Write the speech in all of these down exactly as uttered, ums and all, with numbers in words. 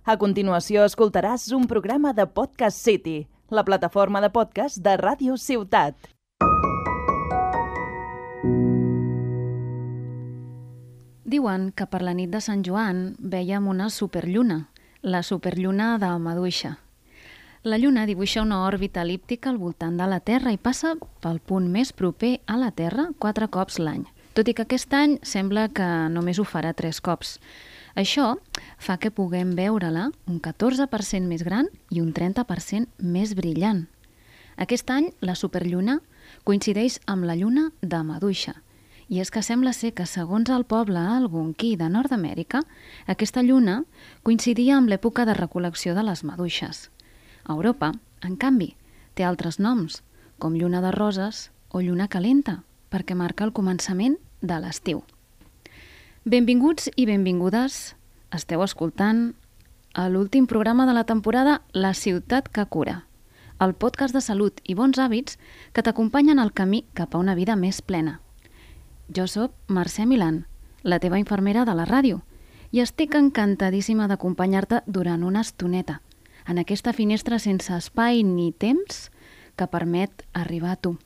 A continuació escoltaràs un programa de Podcast City, la plataforma de podcast de Ràdio Ciutat. Diuen que per la nit de Sant Joan vèiem una superlluna, la superlluna de Maduixa. La lluna dibuixa una òrbita elíptica al voltant de la Terra i passa pel punt més proper a la Terra quatre cops l'any, tot i que aquest any sembla que només ho farà tres cops. Això fa que puguem veure-la un catorze per cent més gran i un trenta per cent més brillant. Aquest any la superlluna coincideix amb la lluna de Maduixa, i és que sembla ser que, segons el poble algonquí de Nord-Amèrica, aquesta lluna coincidia amb l'època de recol·lecció de les maduixes. A Europa, en canvi, té altres noms, com lluna de roses o lluna calenta, perquè marca el començament de l'estiu. Benvinguts i benvingudes, esteu escoltant a l'últim programa de la temporada La ciutat que cura, el podcast de salut i bons hàbits que t'acompanyen al camí cap a una vida més plena. Jo soc Mercè Milán, la teva infermera de la ràdio, i estic encantadíssima d'acompanyar-te durant una estoneta, en aquesta finestra sense espai ni temps que permet arribar a tu.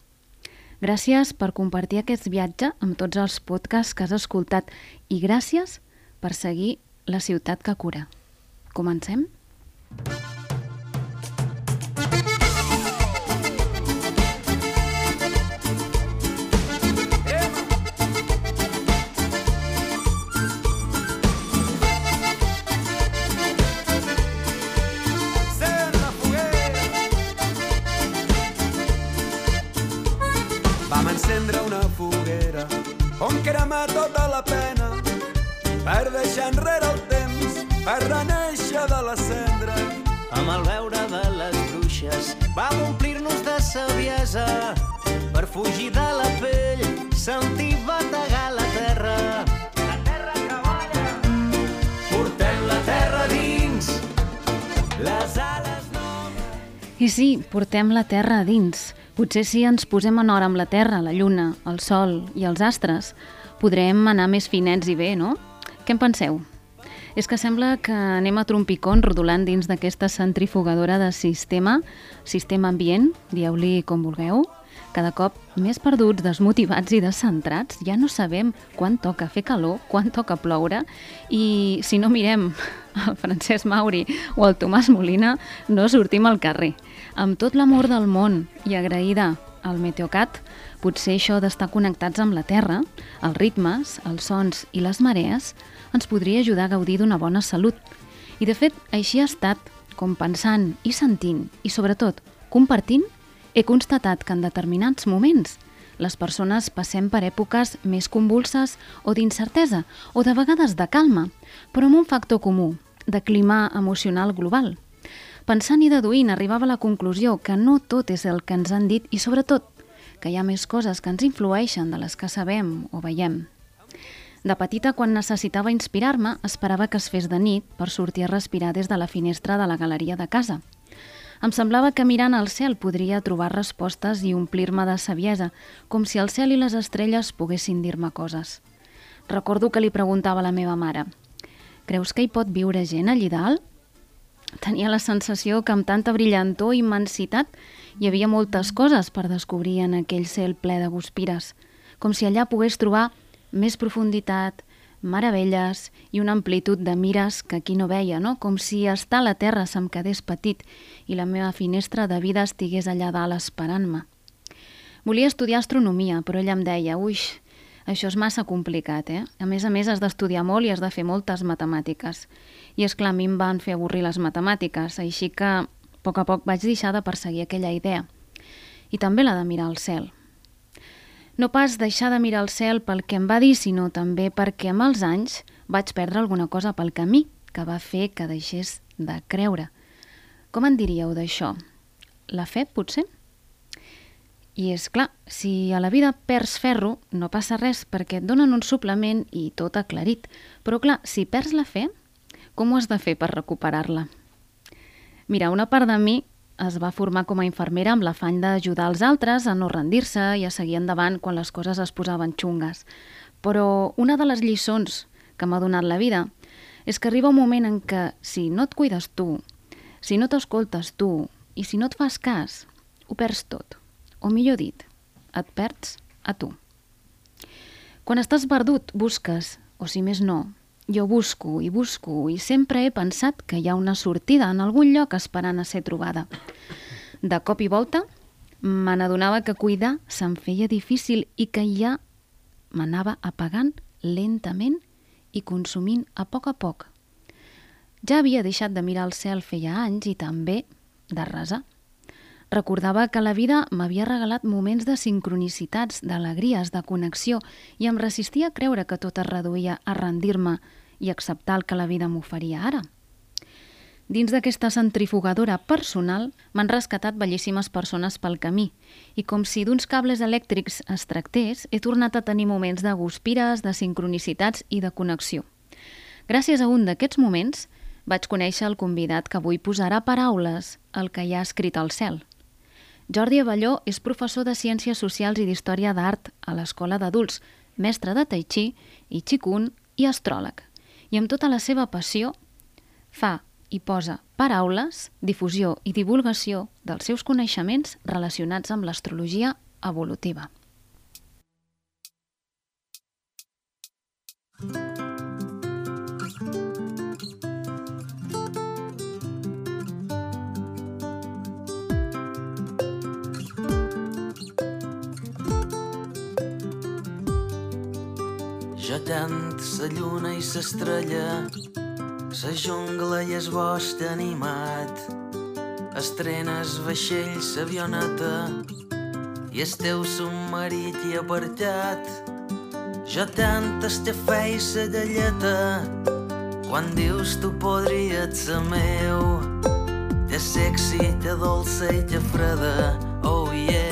Gràcies per compartir aquest viatge amb tots els podcasts que has escoltat i gràcies per seguir La ciutat que cura. Comencem? Encendre una foguera on cremar tota la pena per deixar enrere el temps, per renéixer de la cendra. Amb el veure de les bruixes vam omplir-nos de saviesa per fugir de la pell, sentir bategar la terra. La terra que balla, portem la terra dins, les ales noves. I sí, portem la terra a dins. Potser si ens posem en hora amb la Terra, la Lluna, el Sol i els astres, podrem anar més finets i bé, no? Què en penseu? És que sembla que anem a trompicons rodolant dins d'aquesta centrifugadora de sistema, sistema ambient, dieu-li com vulgueu, cada cop més perduts, desmotivats i descentrats. Ja no sabem quan toca fer calor, quan toca ploure, i si no mirem el Francesc Mauri o el Tomàs Molina, no sortim al carrer. Amb tot l'amor del món i agraïda al Meteocat, potser això d'estar connectats amb la Terra, els ritmes, els sons i les marees, ens podria ajudar a gaudir d'una bona salut. I de fet, així ha estat, com pensant i sentint, i sobretot compartint, he constatat que en determinats moments les persones passem per èpoques més convulses o d'incertesa, o de vegades de calma, però amb un factor comú, de clima emocional global. Pensant i deduint, arribava a la conclusió que no tot és el que ens han dit i, sobretot, que hi ha més coses que ens influeixen de les que sabem o veiem. De petita, quan necessitava inspirar-me, esperava que es fes de nit per sortir a respirar des de la finestra de la galeria de casa. Em semblava que mirant al cel podria trobar respostes i omplir-me de saviesa, com si el cel i les estrelles poguessin dir-me coses. Recordo que li preguntava a la meva mare: «Creus que hi pot viure gent allí dalt?» Tenia la sensació que amb tanta brillantor i immensitat hi havia moltes coses per descobrir en aquell cel ple de guspires, com si allà pogués trobar més profunditat, meravelles i una amplitud de mires que aquí no veia, no? Com si estar a la Terra se'm quedés petit i la meva finestra de vida estigués allà dalt esperant-me. Volia estudiar astronomia, però ella em deia: «Uix, això és massa complicat, eh? A més a més has d'estudiar molt i has de fer moltes matemàtiques». I és clar, a mi em van fer avorrir les matemàtiques, així que a poc a poc vaig deixar de perseguir aquella idea. I també la de mirar al cel. No pas deixar de mirar al cel pel que em va dir, sinó també perquè amb els anys vaig perdre alguna cosa pel camí que va fer que deixés de creure. Com en diríeu d'això? La fe, potser? I és clar, si a la vida perds ferro, no passa res perquè et donen un suplement i tot aclarit. Però clar, si perds la fe, com ho has de fer per recuperar-la? Mira, una part de mi es va formar com a infermera amb l'afany d'ajudar els altres a no rendir-se i a seguir endavant quan les coses es posaven xungues. Però una de les lliçons que m'ha donat la vida és que arriba un moment en què si no et cuides tu, si no t'escoltes tu i si no et fas cas, ho perds tot. O millor dit, et perds a tu. Quan estàs perdut, busques, o si més no, jo busco i busco i sempre he pensat que hi ha una sortida en algun lloc esperant a ser trobada. De cop i volta, me n'adonava que cuidar se'm feia difícil i que ja m'anava apagant lentament i consumint a poc a poc. Ja havia deixat de mirar el cel feia anys i també de resar. Recordava que la vida m'havia regalat moments de sincronicitats, d'alegries, de connexió i em resistia a creure que tot es reduïa a rendir-me i acceptar el que la vida m'oferia ara. Dins d'aquesta centrifugadora personal m'han rescatat bellíssimes persones pel camí i com si d'uns cables elèctrics es tractés, he tornat a tenir moments de guspires, de sincronicitats i de connexió. Gràcies a un d'aquests moments vaig conèixer el convidat que avui posarà paraules al que hi ha escrit al cel. Jordi Abelló és professor de Ciències Socials i d'Història d'Art a l'Escola d'Adults, mestre de Tai Chi i Qigong i astròleg. I amb tota la seva passió fa i posa paraules, difusió i divulgació dels seus coneixements relacionats amb l'astrologia evolutiva. Jo tant sa lluna i s'estrella, sa jungla i es bosc animat, estrenes vaixell s'avioneta i el teu submarit i apartat. Jo tant estafè i sa galleta, quan dius tu podries ser meu, te sexy, te dolça i te freda, oh yeah.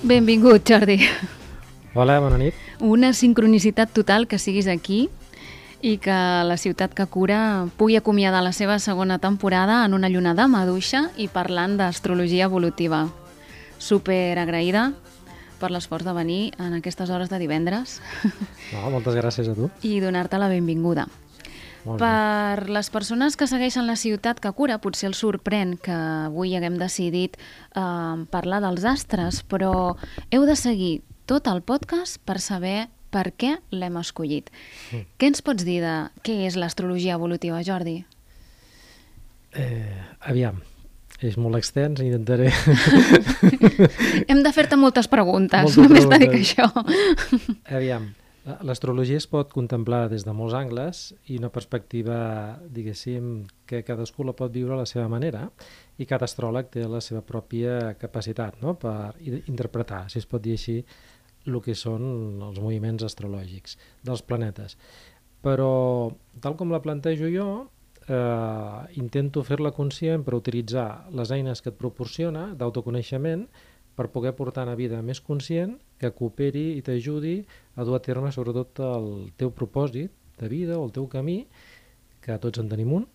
Benvingut, Jordi. Hola, bona nit. Una sincronicitat total que siguis aquí i que la ciutat que cura pugui acomiadar la seva segona temporada en una lluna de maduixa i parlant d'astrologia evolutiva. Super agraïda per l'esforç de venir en aquestes hores de divendres. No, moltes gràcies a tu. I donar-te la benvinguda. Per les persones que segueixen la ciutat que cura, potser els sorprèn que avui haguem decidit eh, parlar dels astres, però heu de seguir tot el podcast per saber per què l'hem escollit. Mm. Què ens pots dir de què és l'astrologia evolutiva, Jordi? Eh, aviam, és molt extens, intentaré... Hem de fer-te moltes preguntes, moltes només preguntes. t'he dit això. Aviam, l'astrologia es pot contemplar des de molts angles i una perspectiva, diguéssim, que cadascú la pot viure a la seva manera i cada astròleg té la seva pròpia capacitat, no?, per interpretar, si es pot dir així, el que són els moviments astrològics dels planetes. Però, tal com la plantejo jo, eh, intento fer-la conscient per utilitzar les eines que et proporciona d'autoconeixement per poder portar una vida més conscient que cooperi i t'ajudi a dur a terme sobretot el teu propòsit de vida o el teu camí, que tots en tenim un,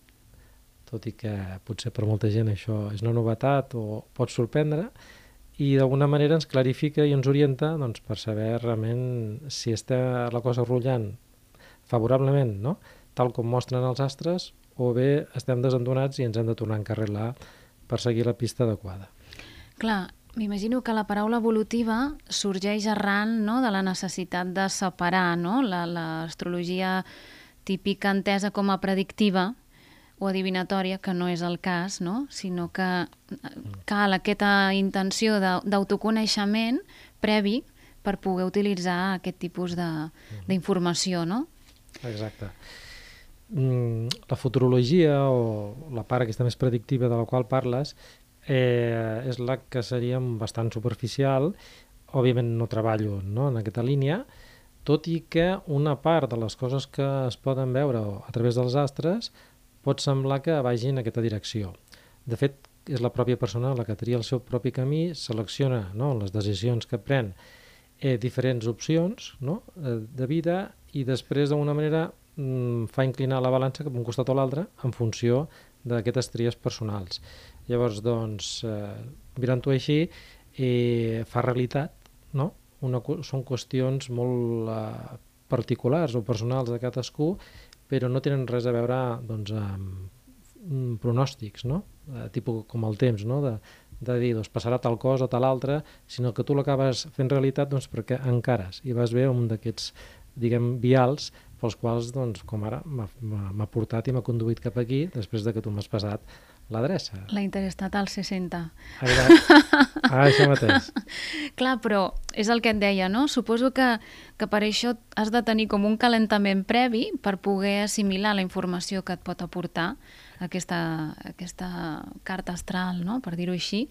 tot i que potser per molta gent això és una novetat o pot sorprendre, i d'alguna manera ens clarifica i ens orienta, doncs, per saber realment si està la cosa rotllant favorablement, no?, tal com mostren els astres, o bé estem desentonats i ens hem de tornar a encarrilar per seguir la pista adequada. Clar, m'imagino que la paraula evolutiva sorgeix arran, no?, de la necessitat de separar, no?, l'astrologia típica entesa com a predictiva o adivinatòria, que no és el cas, no?, sinó que cal aquesta intenció d'autoconeixement previ per poder utilitzar aquest tipus d'informació, no? Exacte. La futurologia, o la part aquesta més predictiva de la qual parles, Eh, és la que seria bastant superficial. Òbviament no treballo, no?, en aquesta línia, tot i que una part de les coses que es poden veure a través dels astres pot semblar que vagi en aquesta direcció. De fet, és la pròpia persona la que tria el seu propi camí, selecciona, no?, les decisions que pren, eh, diferents opcions, no?, de vida, i després d'alguna manera mm, fa inclinar la balança cap a un costat o l'altre en funció d'aquestes tries personals. Llavors, doncs, eh, mirant-ho així, eh, fa realitat, no? Una, són qüestions molt eh, particulars o personals de cadascú, però no tenen res a veure doncs, amb pronòstics, no? Eh, tipus com el temps, no? de, de dir, doncs, passarà tal cosa o tal altra, sinó que tu l'acabes fent realitat doncs, perquè encares i vas bé un d'aquests, diguem, vials pels quals, doncs, com ara m'ha portat i m'ha conduït cap aquí després de que tu m'has passat l'adreça. La Interestatal seixanta. Ah, això mateix. Clar, però és el que et deia, no? Suposo que, que per això has de tenir com un calentament previ per poder assimilar la informació que et pot aportar aquesta, aquesta carta astral, no? Per dir-ho així,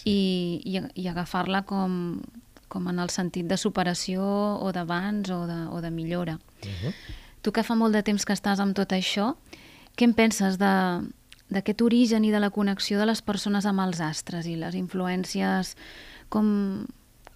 sí. i, i, i agafar-la com, com en el sentit de superació o d'avanç o, de, o de millora. Uh-huh. Tu que fa molt de temps que estàs amb tot això, què en penses de d'aquest origen i de la connexió de les persones amb els astres i les influències, com,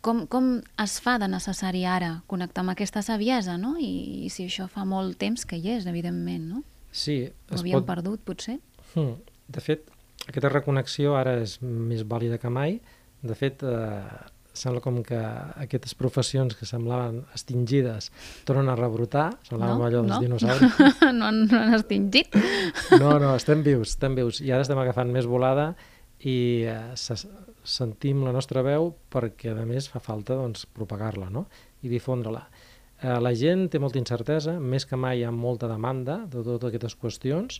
com, com es fa de necessari ara connectar amb aquesta saviesa, no? I, i si això fa molt temps que hi és, evidentment, no? Sí. Ho havíem pot... perdut, potser? Hmm. De fet, aquesta reconnexió ara és més vàlida que mai. De fet, eh, sembla com que aquestes professions que semblaven extingides tornen a rebrotar, semblaven no, allò dels no. dinosaures. no, no han extingit. No, no, estem vius, estem vius. I ara estem agafant més volada i eh, se, sentim la nostra veu perquè, a més, fa falta doncs, propagar-la, no? I difondre-la. Eh, la gent té molta incertesa, més que mai hi ha molta demanda de totes aquestes qüestions.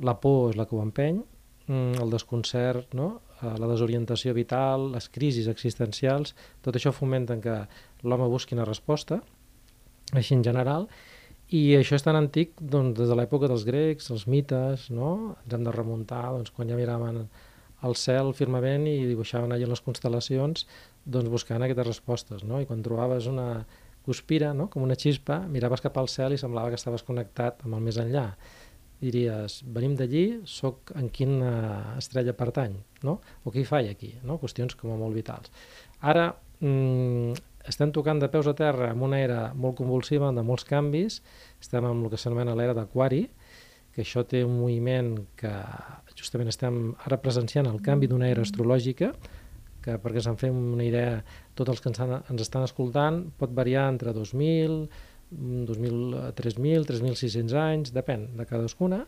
La por és la que ho empeny, el desconcert, no? La desorientació vital, les crisis existencials, tot això fomenten que l'home busqui una resposta, així en general, i això és tan antic doncs, des de l'època dels grecs, els mites, no? Ens hem de remuntar doncs, quan ja miraven al cel, el firmament, i dibuixaven allà les constel·lacions, doncs buscant aquestes respostes, no? I quan trobaves una guspira, no? Com una xispa, miraves cap al cel i semblava que estaves connectat amb el més enllà. Diries, venim d'allí, soc en quina estrella pertany, no? O què hi faig aquí, no? Qüestions com a molt vitals. Ara mmm, estem tocant de peus a terra en una era molt convulsiva, de molts canvis, estem en el que s'anomena l'era d'Aquari, que això té un moviment que justament estem ara presenciant el canvi d'una era astrològica, que perquè se'n fem una idea, tots els que ens, ens estan escoltant, pot variar entre dos mil, dos mil, tres mil, tres mil sis-cents anys, depèn de cadascuna,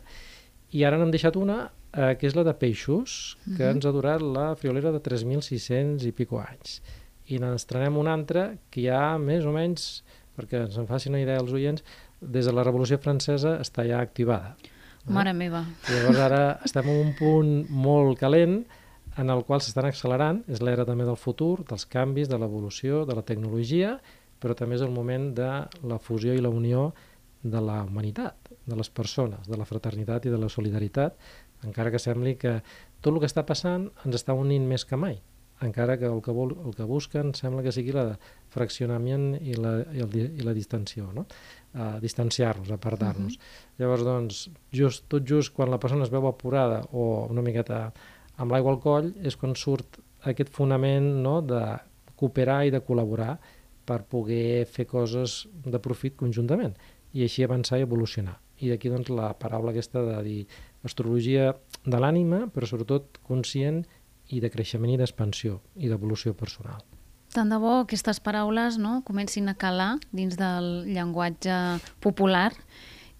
i ara n'hem deixat una, eh, que és la de peixos, que uh-huh. ens ha durat la friolera de tres mil sis-cents i pico anys. I n'estrenem una altra que ja més o menys, perquè ens en facin una idea els oients, des de la Revolució Francesa està ja activada. Mare meva. I llavors ara estem en un punt molt calent en el qual s'estan accelerant, és l'era també del futur, dels canvis, de l'evolució, de la tecnologia, però també és el moment de la fusió i la unió de la humanitat, de les persones, de la fraternitat i de la solidaritat, encara que sembli que tot el que està passant ens està unint més que mai, encara que el que, vol, el que busquen sembla que sigui la fraccionament i la, i el, i la distensió, no? Uh, distanciar-nos, apartar-nos. Uh-huh. Llavors, doncs, just, tot just quan la persona es veu apurada o una miqueta amb l'aigua al coll és quan surt aquest fonament, no?, de cooperar i de col·laborar per poder fer coses de profit conjuntament i així avançar i evolucionar. I d'aquí doncs la paraula aquesta de dir astrologia de l'ànima, però sobretot conscient i de creixement i d'expansió i d'evolució personal. Tant de bo aquestes paraules, no?, comencin a calar dins del llenguatge popular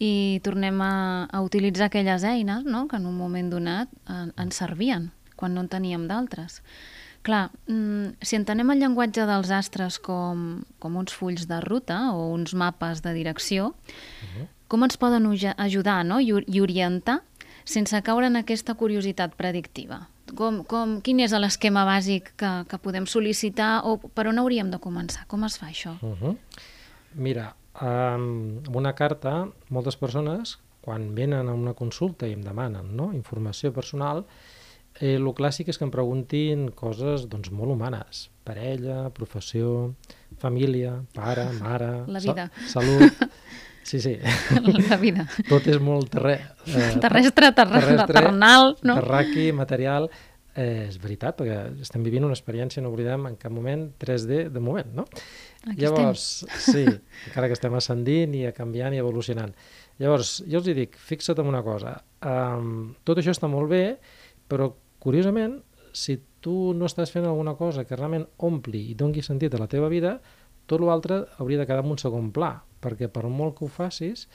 i tornem a, a utilitzar aquelles eines, no?, que en un moment donat en, ens servien quan no en teníem d'altres. Clar, si entenem el llenguatge dels astres com, com uns fulls de ruta o uns mapes de direcció, uh-huh. com ens poden ajudar, no?, i, i orientar sense caure en aquesta curiositat predictiva? Com, com, quin és l'esquema bàsic que, que podem sol·licitar o per on hauríem de començar? Com es fa això? Uh-huh. Mira, um, amb una carta, moltes persones, quan venen a una consulta i em demanen, no?, informació personal, Eh, el clàssic és que em preguntin coses doncs, molt humanes, parella, professió, família, pare, mare, la vida. Sa salut, sí, sí. La vida. Tot és molt terre... eh, terrestre, terrestre, terrestre, terrenal, no? Terraqui, material, eh, és veritat, perquè estem vivint una experiència, no oblidem en cap moment, tres D de moment, no? Aquí Llavors, estem. Sí, encara que estem ascendint i canviant i evolucionant. Llavors, jo els dic, fixa't en una cosa, um, tot això està molt bé, però curiosament, si tu no estàs fent alguna cosa que realment ompli i doni sentit a la teva vida, tot l'altre hauria de quedar en un segon pla, perquè per molt que ho facis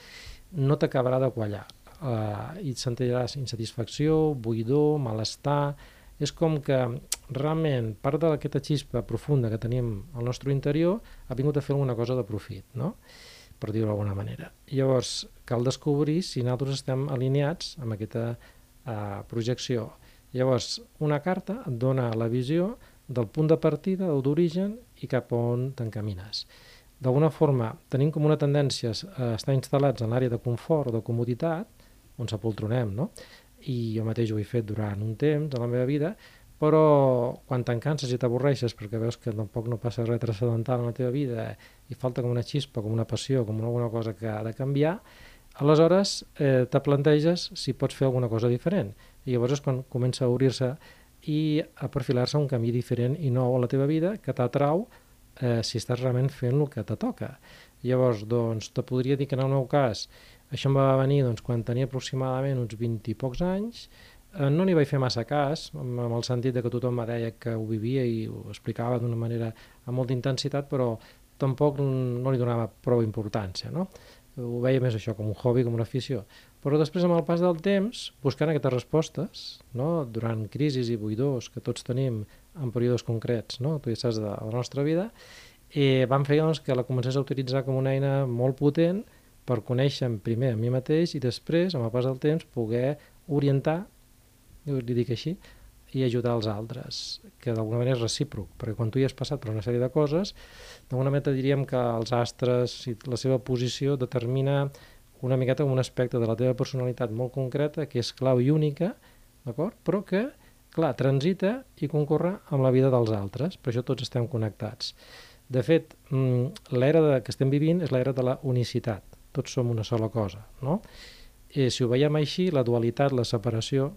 no t'acabarà de quallar. Uh, i et sentiràs insatisfacció, buidor, malestar. És com que realment part d'aquesta xispa profunda que tenim al nostre interior ha vingut a fer alguna cosa de profit, no? Per dir-ho d'alguna manera. Llavors, cal descobrir si nosaltres estem alineats amb aquesta uh, projecció. Llavors, una carta et dona la visió del punt de partida o d'origen i cap on t'encamines. D'alguna forma, tenim com una tendència a estar instal·lats en l'àrea de confort o de comoditat, on s'apoltronem, no? I jo mateix ho he fet durant un temps de la meva vida, però quan te'n canses i t'avorreixes perquè veus que tampoc no passa res transcendental en la teva vida i falta com una xispa, com una passió, com alguna cosa que ha de canviar, aleshores eh, te planteges si pots fer alguna cosa diferent. I llavors és quan comença a obrir-se i a perfilar-se un camí diferent i nou a la teva vida que t'atrau eh, si estàs realment fent el que te toca. Llavors, doncs, te podria dir que en el meu cas això em va venir doncs, quan tenia aproximadament uns vint i pocs anys. Eh, no n'hi vaig fer massa cas, amb, amb el sentit de que tothom me deia que ho vivia i ho explicava d'una manera amb molta intensitat, però tampoc no li donava prou importància, no? Ho veia més això com un hobby, com una afició. Però després, amb el pas del temps, buscant aquestes respostes, no? Durant crisis i buidors que tots tenim en períodes concrets, no? Tu ja saps, de la nostra vida, i vam fer doncs, que la comencés a utilitzar com una eina molt potent per conèixer primer a mi mateix i després, amb el pas del temps, poder orientar, jo li dic així, i ajudar els altres, que d'alguna manera és recíproc, perquè quan tu hi has passat per una sèrie de coses, d'alguna manera diríem que els astres i la seva posició determina una miqueta com un aspecte de la teva personalitat molt concreta, que és clau i única, d'acord? Però que, clar, transita i concorre amb la vida dels altres, per això tots estem connectats. De fet, l'era que estem vivint és l'era de la unicitat, tots som una sola cosa, no? I si ho veiem així, la dualitat, la separació,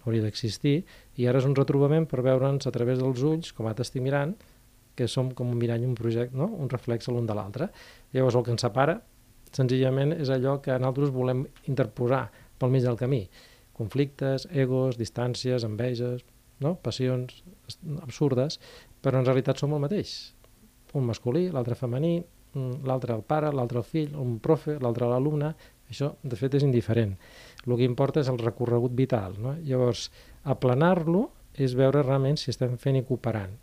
hauria d'existir, i ara és un retrobament per veure'ns a través dels ulls, com ara t'estic mirant, que som com un mirall, un projecte, no? Un reflex l'un de l'altre. Llavors el que ens separa, senzillament, és allò que nosaltres volem interposar pel mig del camí. Conflictes, egos, distàncies, enveges, no? Passions absurdes, però en realitat som el mateix. Un masculí, l'altre femení, l'altre el pare, l'altre el fill, un profe, l'altre l'alumne. Això, de fet, és indiferent. El que importa és el recorregut vital, no? Llavors, aplanar-lo és veure realment si estem fent i cooperant.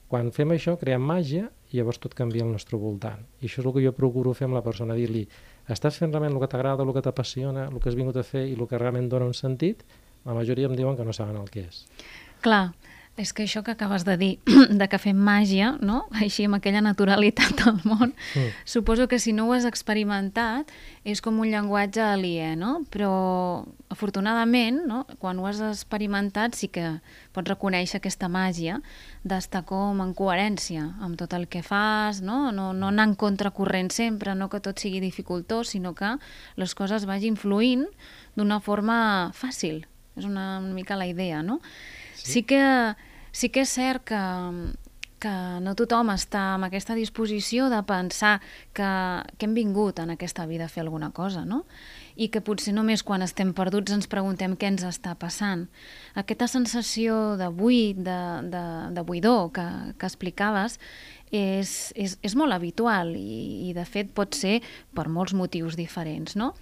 Quan fem això, creem màgia i llavors tot canvia al nostre voltant. I això és el que jo procuro fer amb la persona, dir-li estàs fent realment el que t'agrada, el que t'apassiona, el que has vingut a fer i el que realment dona un sentit? La majoria em diuen que no saben el que és. Clar, és que això que acabes de dir, de que fem màgia, no? Així amb aquella naturalitat del món, mm. suposo que si no ho has experimentat és com un llenguatge aliè, no? Però afortunadament, no? Quan ho has experimentat sí que pots reconèixer aquesta màgia d'estar com en coherència amb tot el que fas, no? No, no anar en contracorrent sempre, no que tot sigui dificultós, sinó que les coses vagin fluint d'una forma fàcil. És una, una mica la idea, no? Sí que, sí que és cert que, que no tothom està amb aquesta disposició de pensar que, que hem vingut en aquesta vida a fer alguna cosa, no? I que potser només quan estem perduts ens preguntem què ens està passant. Aquesta sensació de buit, de, de, de buidor que, que explicaves, és, és, és molt habitual i, i de fet pot ser per molts motius diferents, no?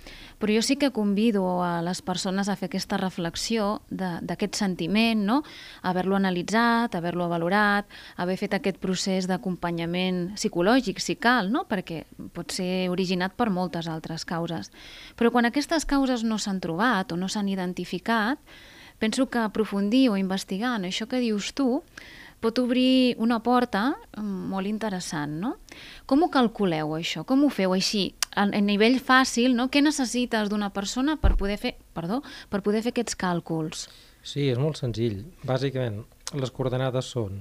Però jo sí que convido a les persones a fer aquesta reflexió d'aquest sentiment, no? Haver-lo analitzat, haver-lo valorat, haver fet aquest procés d'acompanyament psicològic, si cal, no? Perquè pot ser originat per moltes altres causes. Però quan aquestes causes no s'han trobat o no s'han identificat, penso que aprofundir o investigar en això que dius tu pot obrir una porta molt interessant, no? Com ho calculeu, això? Com ho feu així? A nivell fàcil, no? Què necessites d'una persona per poder fer, perdó, per poder fer aquests càlculs? Sí, és molt senzill. Bàsicament, les coordenades són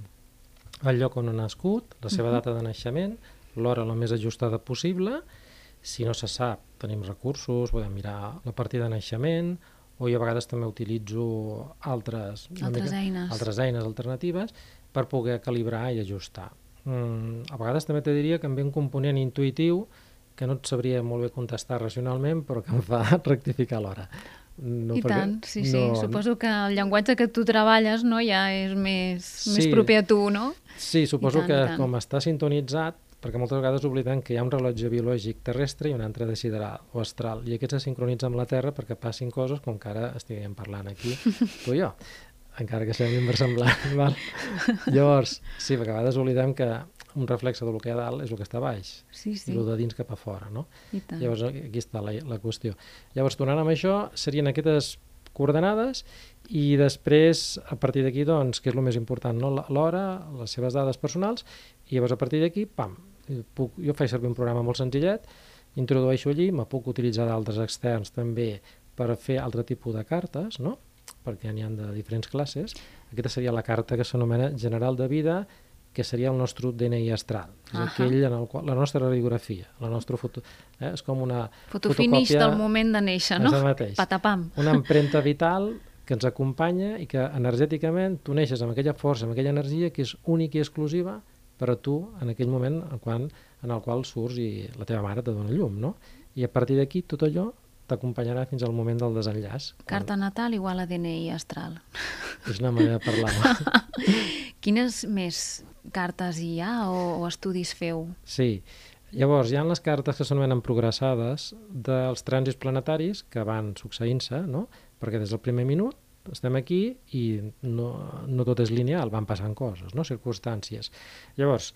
el lloc on ha nascut, la seva data de naixement, l'hora la més ajustada possible. Si no se sap, tenim recursos, podem mirar la partida de naixement, o jo a vegades també utilitzo altres, altres, mica, eines. altres eines alternatives per poder calibrar i ajustar. Mm, a vegades també te diria que em ve un component intuïtiu que no et sabria molt bé contestar racionalment, però que em fa rectificar l'hora. No, I tant, sí, sí. No... Suposo que el llenguatge que tu treballes, no, ja és més, sí, més proper a tu, no? Sí, suposo tant, que com està sintonitzat, perquè moltes vegades oblidem que hi ha un rellotge biològic terrestre i un altre de sideral o astral, i aquest se sincronitza amb la Terra perquè passin coses com que ara estiguem parlant aquí, tu i jo, encara que sembli inversemblant. Val? Llavors, sí, perquè a vegades oblidem que un reflexe del que hi ha dalt és el que està a baix, sí, sí. i el de dins cap a fora, no? I tant. Llavors, aquí està la, la qüestió. Llavors, tornant amb això, serien aquestes coordenades, i després, a partir d'aquí, doncs, que és el més important, no? L'hora, les seves dades personals, i llavors a partir d'aquí, pam, puc, jo faig servir un programa molt senzillet, introdueixo allí, me puc utilitzar d'altres externs també per fer altre tipus de cartes, no? Perquè n'hi ha de diferents classes. Aquesta seria la carta que s'anomena general de vida, que seria el nostre D N I astral. És uh -huh. aquell en el qual, la nostra radiografia, la nostra foto... Eh? És com una fotofinish fotocòpia del moment de néixer, no? Patapam. Una empremta vital que ens acompanya i que energèticament tu neixes amb aquella força, amb aquella energia que és única i exclusiva per a tu en aquell moment en, quan, en el qual surts i la teva mare te dona llum, no? I a partir d'aquí tot allò t'acompanyarà fins al moment del desenllaç. Carta natal igual a D N I astral. És una manera de parlar. Quines més cartes hi ha o, o estudis feu? Sí. Llavors, hi ha les cartes que s'anomenen progressades dels trànsits planetaris que van succeint-se, no? Perquè des del primer minut estem aquí i no, no tot és lineal, van passant coses, no? Circumstàncies. Llavors,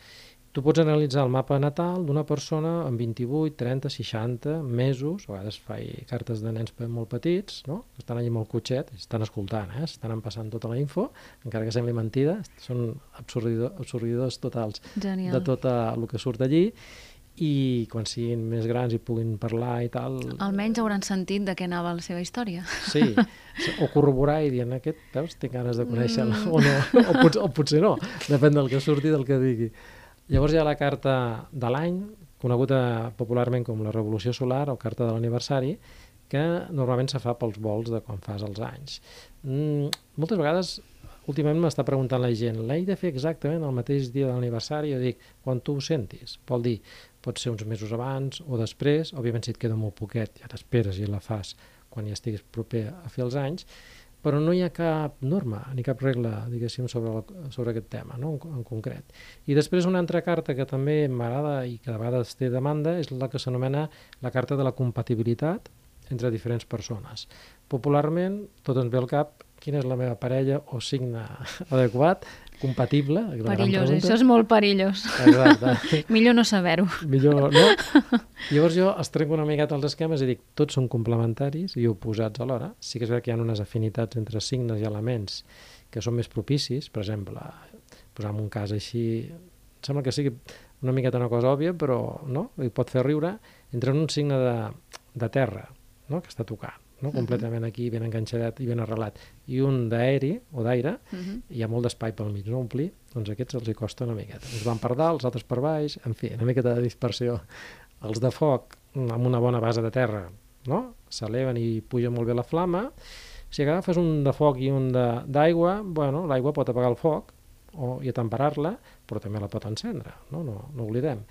tu pots analitzar el mapa natal d'una persona amb vint-i-vuit, trenta, seixanta mesos, a vegades faig cartes de nens molt petits, no? Que estan allà amb el cotxet, estan escoltant, eh? Estan empassant tota la info, encara que sembli mentida, són absurdidors, absurdidors totals. Genial. De tot el que surt d'allí, i quan siguin més grans i puguin parlar i tal... Almenys hauran sentit de què anava la seva història. Sí, o corroborar i dir, aquest, veus, tinc ganes de conèixer-la, mm. o no, o, pot, o potser no, depèn del que surti, del que digui. Llavors hi ha la carta de l'any, coneguda popularment com la Revolució Solar o carta de l'aniversari, que normalment se fa pels vols de quan fas els anys. Mm, moltes vegades, últimament m'està preguntant la gent, l'he de fer exactament el mateix dia de l'aniversari? Jo dic, quan tu ho sentis. Vol dir, pot ser uns mesos abans o després, òbviament si et queda molt poquet, ja t'esperes i la fas quan ja estiguis proper a fer els anys, però no hi ha cap norma ni cap regla, diguéssim, sobre, la, sobre aquest tema, no? en, en concret. I després una altra carta que també m'agrada i que de vegades té demanda és la que s'anomena la carta de la compatibilitat entre diferents persones. Popularment, tot ens ve al cap quina és la meva parella o signe adequat, compatible. Perillós, això és molt perillós. Exacte. Millor no saber-ho. Millor, no? Llavors jo els trenco una miqueta els esquemes i dic, tots són complementaris i oposats alhora. Sí que és veritat que hi ha unes afinitats entre signes i elements que són més propicis, per exemple, posar-me un cas així, sembla que sigui una miqueta una cosa òbvia, però no, i pot fer riure, entre un signe de, de terra, no? Que està tocant, no? Completament aquí, ben enganxadet i ben arrelat, i un d'aeri o d'aire, uh-huh. Hi ha molt d'espai pel mig, no omplir, doncs aquests els hi costa una miqueta. Uns van per dalt, els altres per baix, en fi, una miqueta de dispersió. Els de foc, amb una bona base de terra, no? S'eleven i puja molt bé la flama. Si agafes un de foc i un d'aigua, bueno, l'aigua pot apagar el foc o, i temperar-la, però també la pot encendre, no? No, no oblidem.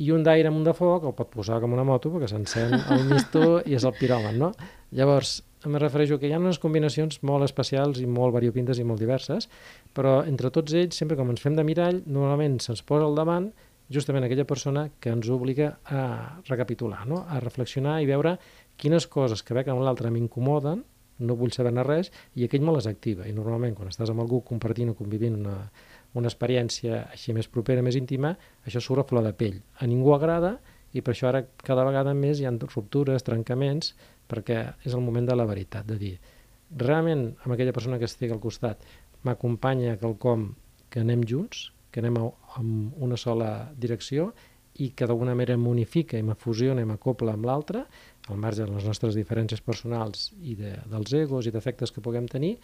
I un d'aire amb un de foc el pot posar com una moto perquè s'encén el misto i és el piròman, no? Llavors, em refereixo que hi ha unes combinacions molt especials i molt variopintes i molt diverses, però entre tots ells, sempre com ens fem de mirall, normalment se'ns posa al davant justament aquella persona que ens obliga a recapitular, no? A reflexionar i veure quines coses que veig amb l'altre m'incomoden, no vull saber-ne res, i aquell me les activa. I normalment, quan estàs amb algú compartint o convivint una, una experiència així més propera, més íntima, això surt a flor de pell. A ningú agrada, i per això ara cada vegada més hi ha ruptures, trencaments, perquè és el moment de la veritat, de dir, realment amb aquella persona que estigui al costat m'acompanya quelcom que anem junts, que anem en una sola direcció i que d'alguna manera m'unifica i m'afusiona i m'acopla amb l'altre, al marge de les nostres diferències personals i de, dels egos i defectes que puguem tenir.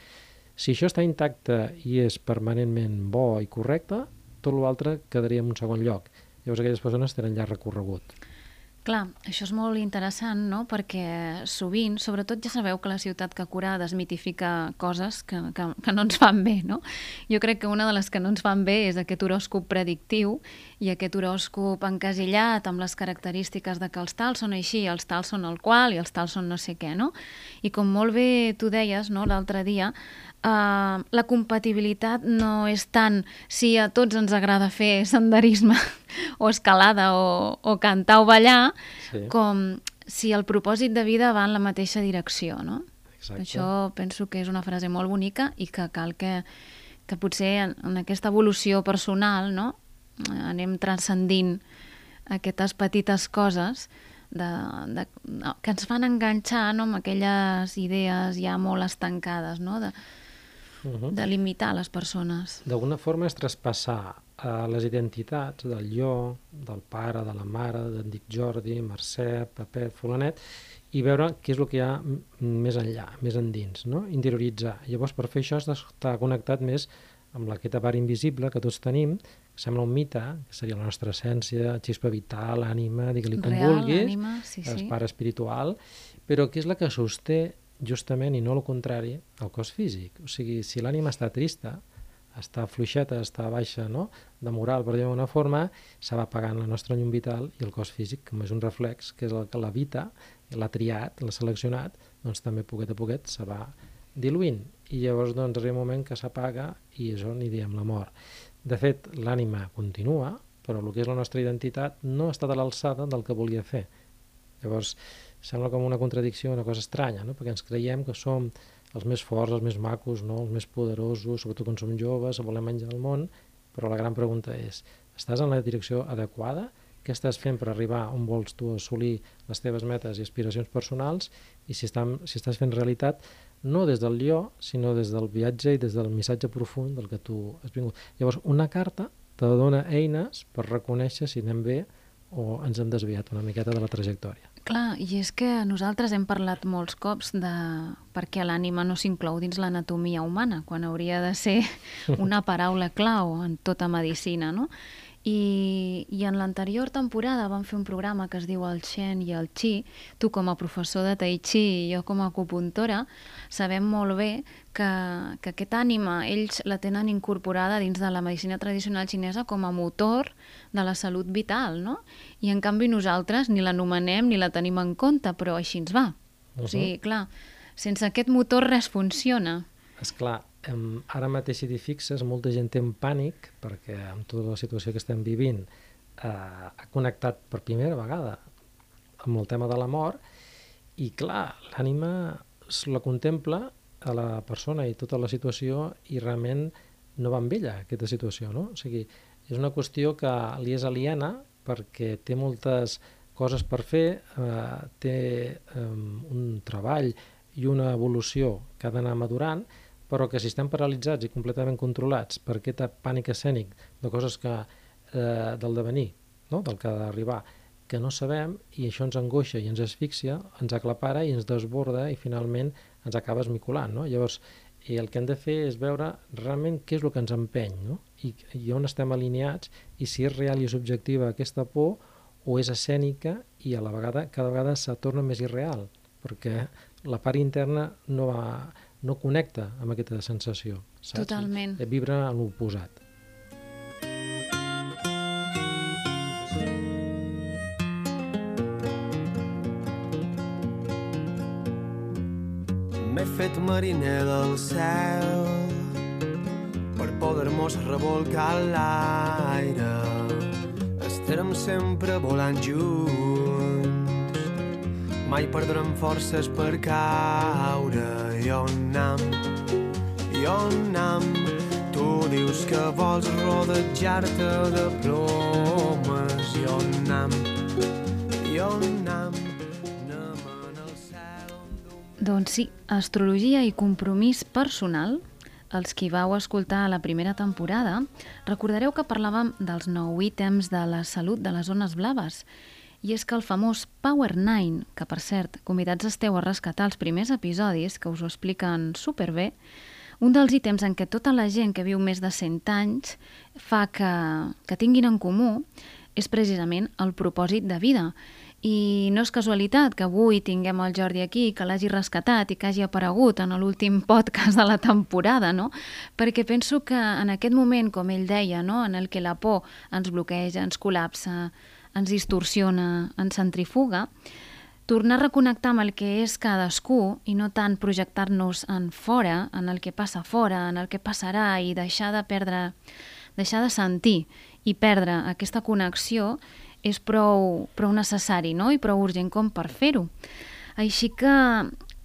Si això està intacte i és permanentment bo i correcte, tot l'altre quedaria en un segon lloc. Llavors aquelles persones tenen llarg recorregut. Clar, això és molt interessant, no? Perquè sovint, sobretot ja sabeu que la ciutat que cura desmitifica coses que, que, que no ens fan bé, no? Jo crec que una de les que no ens fan bé és aquest horòscop predictiu i aquest horòscop encasillat amb les característiques de que els tals són així, els tals són el qual i els tals són no sé què, no? I com molt bé tu deies, no, l'altre dia, Uh, la compatibilitat no és tant si a tots ens agrada fer senderisme o escalada o, o cantar o ballar, sí. com si el propòsit de vida va en la mateixa direcció, no? Exacte. Això penso que és una frase molt bonica i que cal que, que potser en, en aquesta evolució personal, no? Anem transcendint aquestes petites coses de, de, que ens fan enganxar, no? Amb aquelles idees ja molt estancades, no? De, Uh-huh. de limitar les persones. D'alguna forma és traspassar uh, les identitats del jo, del pare, de la mare, d'en Dic Jordi, Mercè, Pepet, Fulanet, i veure què és el que hi ha més enllà, més endins, no? Interioritzar. Llavors, per fer això has d'estar connectat més amb aquesta part invisible que tots tenim, que sembla un mite, que seria la nostra essència, xispa vital, ànima, digue-li com Real, vulguis, ànima, sí, sí. el pare espiritual, però que és la que sosté justament, i no el contrari, el cos físic. O sigui, si l'ànima està trista, està fluixeta, està baixa, no?, de moral, per dir-ho d'una forma, se va apagant la nostra llum vital i el cos físic, com és un reflex, que és el que l'habita, l'ha triat, l'ha seleccionat, doncs també poquet a poquet se va diluint. I llavors doncs, arriba un moment que s'apaga i això n'hi diem la mort. De fet, l'ànima continua, però el que és la nostra identitat no ha estat a l'alçada del que volia fer. Llavors, sembla com una contradicció, una cosa estranya, no? Perquè ens creiem que som els més forts, els més macos, no? Els més poderosos, sobretot quan som joves, volem menjar el món, però la gran pregunta és, estàs en la direcció adequada? Què estàs fent per arribar on vols tu assolir les teves metes i aspiracions personals? I si, estan, si estàs fent realitat, no des del jo, sinó des del viatge i des del missatge profund del que tu has vingut. Llavors, una carta te dona eines per reconèixer si anem bé o ens hem desviat una miqueta de la trajectòria. Clar, i és que nosaltres hem parlat molts cops de per què l'ànima no s'inclou dins l'anatomia humana, quan hauria de ser una paraula clau en tota medicina, no? I, i en l'anterior temporada vam fer un programa que es diu el Shen i el Qi. Tu com a professor de Tai Chi i jo com a acupuntora sabem molt bé que, que aquesta ànima ells la tenen incorporada dins de la medicina tradicional xinesa com a motor de la salut vital, no? I en canvi nosaltres ni l'anomenem ni la tenim en compte, però així ens va. Uh-huh. O sigui, clar, sense aquest motor res funciona. Esclar, Um, ara mateix si t'hi fixes, molta gent té un pànic perquè amb tota la situació que estem vivint eh, ha connectat per primera vegada amb el tema de la mort i clar, l'ànima la contempla a la persona i tota la situació i realment no va amb ella aquesta situació, no? O sigui, és una qüestió que li és aliena perquè té moltes coses per fer, eh, té um, un treball i una evolució que ha d'anar madurant, però que si estem paralitzats i completament controlats per aquest pànic escènic de coses que, eh, del devenir, no? Del que ha d'arribar, que no sabem i això ens angoixa i ens asfixia, ens aclapara i ens desborda i finalment ens acaba esmicolant, no? Llavors, i el que hem de fer és veure realment què és el que ens empeny, no? I, i on estem alineats i si és real i és objectiva aquesta por o és escènica i a la vegada cada vegada se torna més irreal perquè la part interna no va... no connecta amb aquesta sensació, saps? Totalment. Vibra en l'oposat. M'he fet mariner del cel per poder-mos revolcar l'aire. Estarem sempre volant junts, mai perdrem forces per caure. I on anem, i on anem, tu dius que vols rodejar-te de plomes. I on anem, i on anem, anem en el cel. Doncs sí, astrologia i compromís personal. Els qui vau escoltar la primera temporada recordareu que parlàvem dels nou ítems de la salut de les zones blaves. I és que el famós Power nine, que per cert, convidats esteu a rescatar els primers episodis, que us ho expliquen superbé, un dels ítems en què tota la gent que viu més de cent anys fa que, que tinguin en comú és precisament el propòsit de vida. I no és casualitat que avui tinguem el Jordi aquí, que l'hagi rescatat i que hagi aparegut en l'últim podcast de la temporada, no? Perquè penso que en aquest moment, com ell deia, no? En el que la por ens bloqueja, ens col·lapsa, ens distorsiona, ens centrifuga, tornar a reconnectar amb el que és cadascú i no tant projectar-nos en fora, en el que passa fora, en el que passarà, i deixar de perdre, deixar de sentir i perdre aquesta connexió és prou, prou necessari, no? I prou urgent com per fer-ho. Així que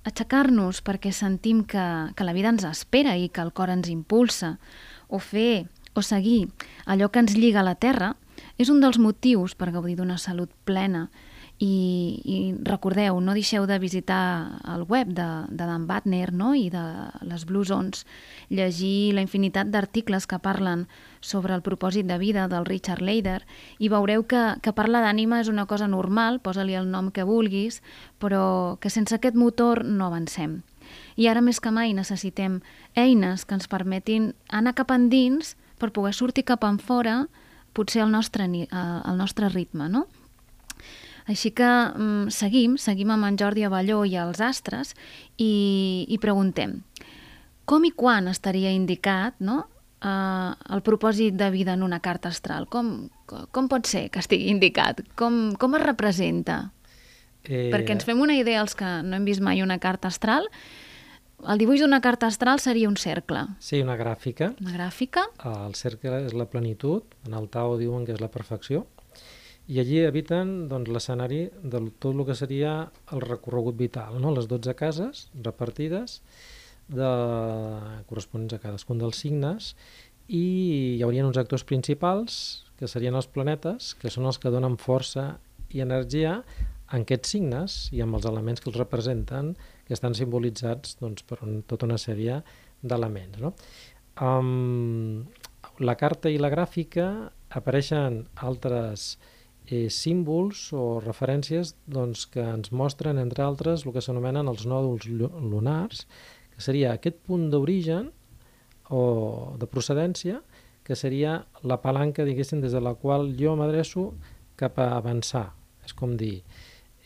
aixecar-nos perquè sentim que, que la vida ens espera i que el cor ens impulsa, o fer o seguir allò que ens lliga a la terra, és un dels motius per gaudir d'una salut plena. I, i recordeu, no deixeu de visitar el web de, de Dan Buettner, no? I de les Blue Zones, llegir la infinitat d'articles que parlen sobre el propòsit de vida del Richard Leider, i veureu que, que parlar d'ànima és una cosa normal, posa-li el nom que vulguis, però que sense aquest motor no avancem. I ara més que mai necessitem eines que ens permetin anar cap endins per poder sortir cap enfora, potser al nostre, al nostre ritme, no? Així que mm, seguim, seguim amb en Jordi Abelló i els astres i, i preguntem com i quan estaria indicat, no, uh, el propòsit de vida en una carta astral? Com, com pot ser que estigui indicat? Com, com es representa? Eh... Perquè ens fem una idea, els que no hem vist mai una carta astral, el dibuix d'una carta astral seria un cercle. Sí, una gràfica. Una gràfica. El cercle és la plenitud, en el Tao diuen que és la perfecció, i allí habiten doncs, l'escenari de tot el que seria el recorregut vital, no? Les dotze cases repartides de... corresponents a cadascun dels signes, i hi haurien uns actors principals, que serien els planetes, que són els que donen força i energia en aquests signes i amb els elements que els representen, que estan simbolitzats doncs, per un, tota una sèrie d'elements, no? Um, la carta i la gràfica apareixen altres eh, símbols o referències doncs, que ens mostren, entre altres, el que s'anomenen els nòduls lunars, que seria aquest punt d'origen o de procedència, que seria la palanca, diguéssim, des de la qual jo m'adreço cap a avançar. És com dir,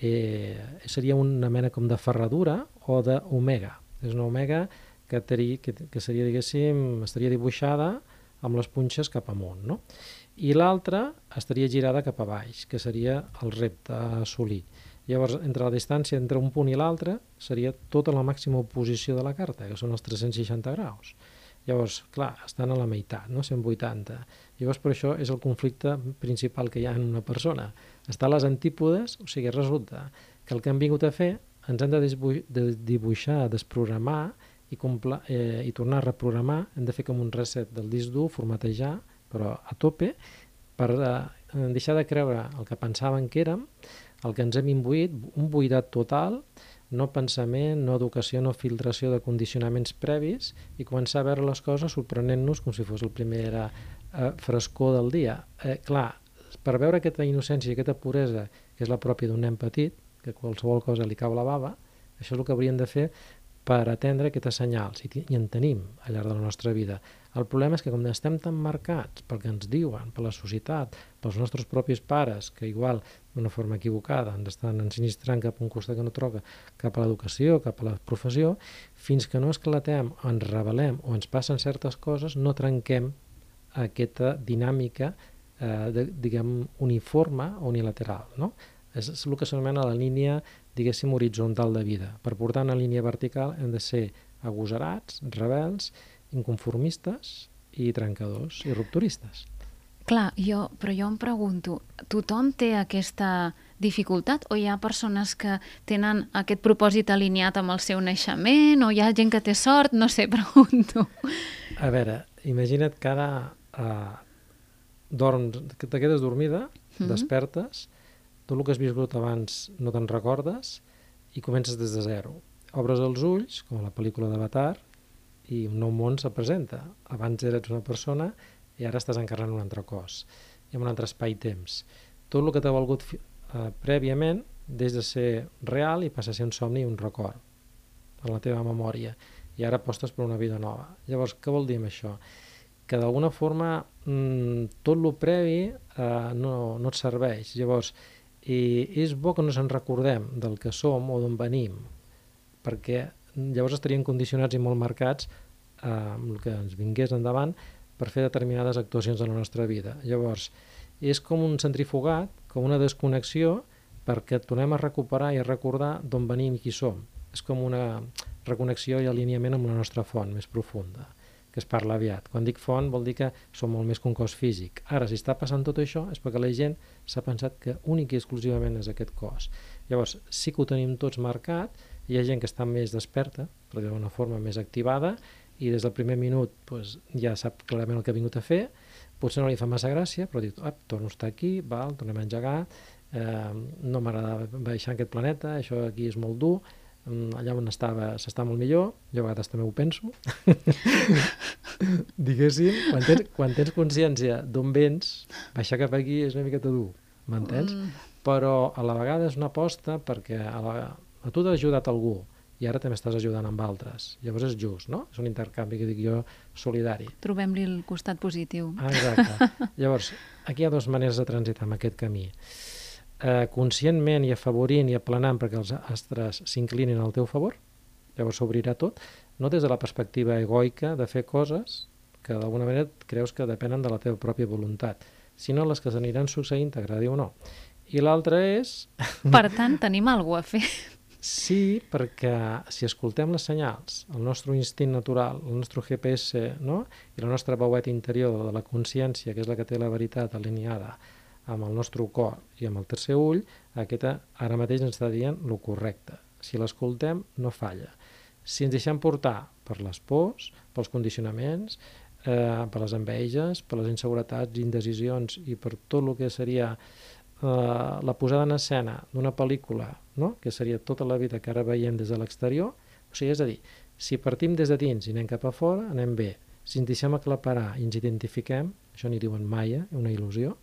eh, seria una mena com de ferradura o d'omega. És una omega que, teri, que, que seria, diguéssim, estaria dibuixada amb les punxes cap amunt, no? I l'altra estaria girada cap a baix, que seria el repte a assolir. Llavors, entre la distància entre un punt i l'altre seria tota la màxima oposició de la carta, que són els tres-cents seixanta graus. Llavors, clar, estan a la meitat, no? cent vuitanta. Llavors, per això és el conflicte principal que hi ha en una persona. Està a les antípodes, o sigui, resulta que el que hem vingut a fer ens hem de, de dibuixar, desprogramar i, eh, i tornar a reprogramar. Hem de fer com un reset del disc dur, formatejar, però a tope, per eh, deixar de creure el que pensàvem que érem, el que ens hem imbuït, un buidat total, no pensament, no educació, no filtració de condicionaments previs, i començar a veure les coses sorprenent-nos com si fos el primer eh, frescor del dia. Eh, clar, per veure aquesta innocència i aquesta puresa, que és la pròpia d'un nen petit, que qualsevol cosa li cau la bava, això és el que hauríem de fer per atendre aquests senyals, i, i en tenim al llarg de la nostra vida. El problema és que com estem tan marcats pel que ens diuen, per la societat, pels nostres propis pares, que igual d'una forma equivocada ens estan ensinistrant cap a un costat que no troca, cap a l'educació, cap a la professió, fins que no esclatem, o ens rebel·lem o ens passen certes coses, no trenquem aquesta dinàmica eh, de, diguem, uniforme o unilateral, no? És, és el que s'anomena la línia, diguéssim, horitzontal de vida. Per portar una línia vertical hem de ser agosarats, rebels, inconformistes i trencadors i rupturistes. Clar, jo, però jo em pregunto, tothom té aquesta dificultat o hi ha persones que tenen aquest propòsit alineat amb el seu naixement o hi ha gent que té sort? No sé, pregunto. A veure, imagina't que ara uh, dorms, que te quedes dormida, mm-hmm. despertes, tot el que has viscut abans no te'n recordes i comences des de zero. Obres els ulls, com a la pel·lícula d'Avatar, i un nou món se presenta. Abans eres una persona i ara estàs encarnant un altre cos, i en un altre espai-temps. Tot el que t'ha valgut eh, prèviament des de ser real i passa a ser un somni i un record en la teva memòria, i ara apostes per una vida nova. Llavors, què vol dir amb això? Que d'alguna forma mmm, tot el previ eh, no, no et serveix. Llavors, i és bo que no se'n recordem del que som o d'on venim, perquè llavors estaríem condicionats i molt marcats eh, amb el que ens vingués endavant per fer determinades actuacions de la nostra vida. Llavors, és com un centrifugat, com una desconnexió perquè tornem a recuperar i a recordar d'on venim i qui som. És com una reconnexió i alineament amb la nostra font més profunda, que es parla aviat. Quan dic font vol dir que som molt més que un cos físic. Ara, si està passant tot això és perquè la gent s'ha pensat que únic i exclusivament és aquest cos. Llavors, sí que ho tenim tots marcat, hi ha gent que està més desperta, per dir d'una forma més activada, i des del primer minut doncs, ja sap clarament el que ha vingut a fer, potser no li fa massa gràcia, però diu, ah, torno a estar aquí, val, tornem a engegar, eh, no m'agrada baixar en aquest planeta, això aquí és molt dur, allà on estava s'està molt millor, jo a vegades també ho penso. Diguéssim, quan tens, quan tens consciència d'on vens, baixar cap aquí és una miqueta dur, m'entens? Mm. Però a la vegada és una aposta perquè a, la, a tu t'ha ajudat algú i ara també estàs ajudant amb altres. Llavors és just, no? És un intercanvi que dic jo solidari. Trobem-li el costat positiu. Ah, exacte. Llavors, aquí hi ha dues maneres de transitar en aquest camí. Eh, conscientment i afavorint i aplanant perquè els astres s'inclinin al teu favor, llavors s'obrirà tot, no des de la perspectiva egoica de fer coses que d'alguna manera creus que depenen de la teva pròpia voluntat, sinó les que s'aniran succeint, t'agradi o no. I l'altra és... Per tant, tenim alguna cosa a fer. Sí, perquè si escoltem les senyals, el nostre instint natural, el nostre G P S, no? I la nostra veueta interior de la consciència, que és la que té la veritat alineada amb el nostre cor i amb el tercer ull, aquesta ara mateix ens està dient el correcte. Si l'escoltem, no falla. Si ens deixem portar per les pors, pels condicionaments, eh, per les enveges, per les inseguretats, indecisions i per tot el que seria eh, la posada en escena d'una pel·lícula, no? Que seria tota la vida que ara veiem des de l'exterior, o sigui, és a dir, si partim des de dins i anem cap a fora, anem bé. Si ens deixem aclaparar i ens identifiquem, això n'hi diuen maia, una il·lusió,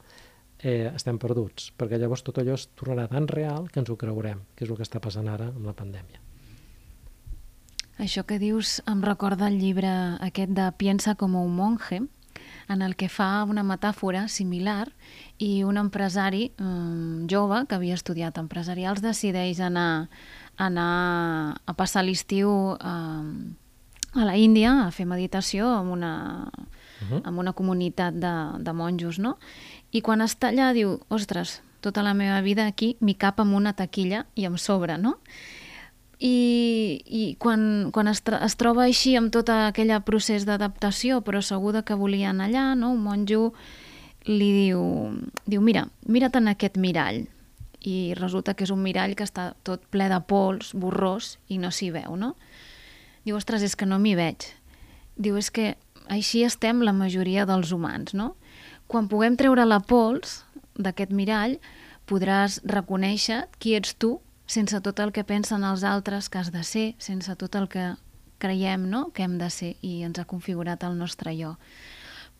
Eh, estem perduts, perquè llavors tot allò es tornarà tan real que ens ho creurem, que és el que està passant ara amb la pandèmia. Això que dius em recorda el llibre aquest de Piensa como un monje, en el que fa una metàfora similar i un empresari um, jove que havia estudiat empresarials decideix anar, anar a passar l'estiu um, a la Índia a fer meditació amb una, uh-huh. amb una comunitat de, de monjos, no? I quan està allà diu, ostres, tota la meva vida aquí m'hi cap amb una taquilla i em sobra, no? I, i quan, quan es, es troba així amb tot aquell procés d'adaptació, però segur que volia anar allà, no? Un monjo li diu, diu mira, mira't en aquest mirall. I resulta que és un mirall que està tot ple de pols, borrós, i no s'hi veu, no? Diu, ostres, és que no m'hi veig. Diu, és que així estem la majoria dels humans, no? Quan puguem treure la pols d'aquest mirall, podràs reconèixer qui ets tu sense tot el que pensen els altres que has de ser, sense tot el que creiem, no?, que hem de ser i ens ha configurat el nostre jo.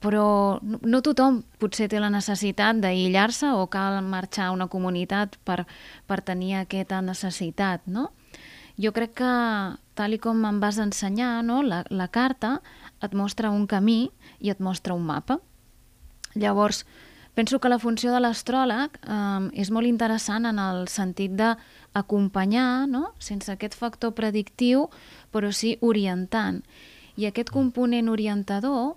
Però no tothom potser té la necessitat d'aïllar-se o cal marxar a una comunitat per, per tenir aquesta necessitat, no? Jo crec que, tal i com em vas ensenyar, no?, la, la carta et mostra un camí i et mostra un mapa. Llavors, penso que la funció de l'astròleg eh, és molt interessant en el sentit d'acompanyar, no?, sense aquest factor predictiu, però sí orientant. I aquest component orientador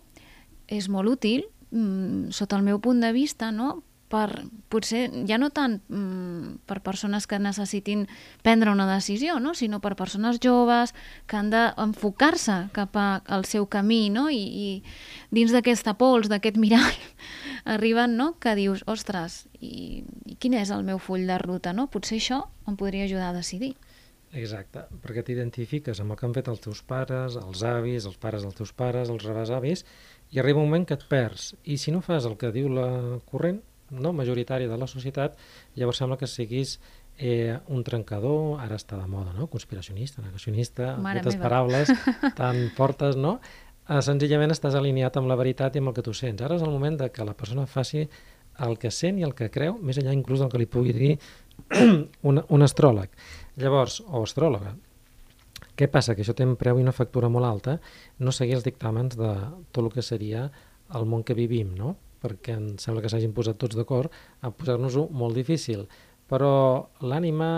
és molt útil, mm, sota el meu punt de vista, no?, per, potser ja no tant mm, per persones que necessitin prendre una decisió, no?, sinó per persones joves que han d'enfocar-se cap al seu camí, no?, i, i dins d'aquesta pols, d'aquest mirall, arriben, no?, que dius, ostres, i, i quin és el meu full de ruta, no? Potser això em podria ajudar a decidir. Exacte, perquè t'identifiques amb el que han fet els teus pares, els avis, els pares dels teus pares, els rebesavis, i arriba un moment que et perds. I si no fas el que diu la corrent, no, majoritària de la societat, llavors sembla que siguis eh, un trencador, ara està de moda, no?, conspiracionista, negacionista, Mare aquestes meva. paraules tan fortes, no? Eh, senzillament estàs alineat amb la veritat i amb el que tu sents. Ara és el moment de que la persona faci el que sent i el que creu, més enllà inclús del que li pugui dir un, un astròleg. Llavors, o astròloga, què passa? Que això té un preu i una factura molt alta, no seguir els dictàmens de tot el que seria el món que vivim, no?, perquè em sembla que s'hagin posat tots d'acord a posar-nos-ho molt difícil. Però l'ànima